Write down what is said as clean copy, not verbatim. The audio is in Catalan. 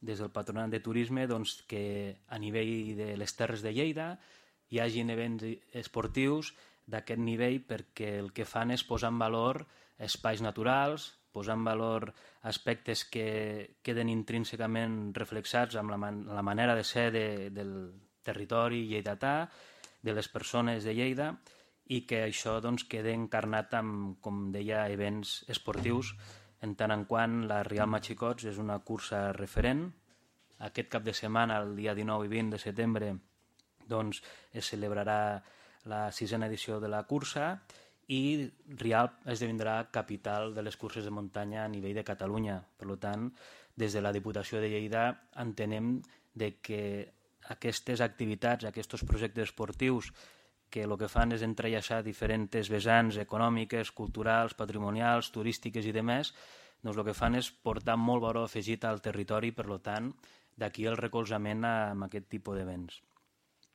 des del Patronat de Turisme, doncs, que a nivell de les Terres de Lleida hi hagin events esportius d'aquest nivell, perquè el que fan és posar en valor espais naturals, posar en valor aspectes que queden intrínsecament reflexats amb la manera de ser del territori lleidatà, de les persones de Lleida, i que això doncs, quede encarnat amb, com deia, events esportius, en tant en quant la Rialp Matxicots és una cursa referent. Aquest cap de setmana, el dia 19 i 20 de setembre, doncs, es celebrarà la 6a edició de la cursa i Rialp esdevindrà capital de les curses de muntanya a nivell de Catalunya. Per tant, des de la Diputació de Lleida entenem que aquestes activitats, aquests projectes esportius que el que fan és entrellaçar diferents vessants econòmiques, culturals, patrimonials, turístiques i demés, doncs el que fan és portar molt valor afegit al territori, per tant, d'aquí el recolzament amb aquest tipus d'events.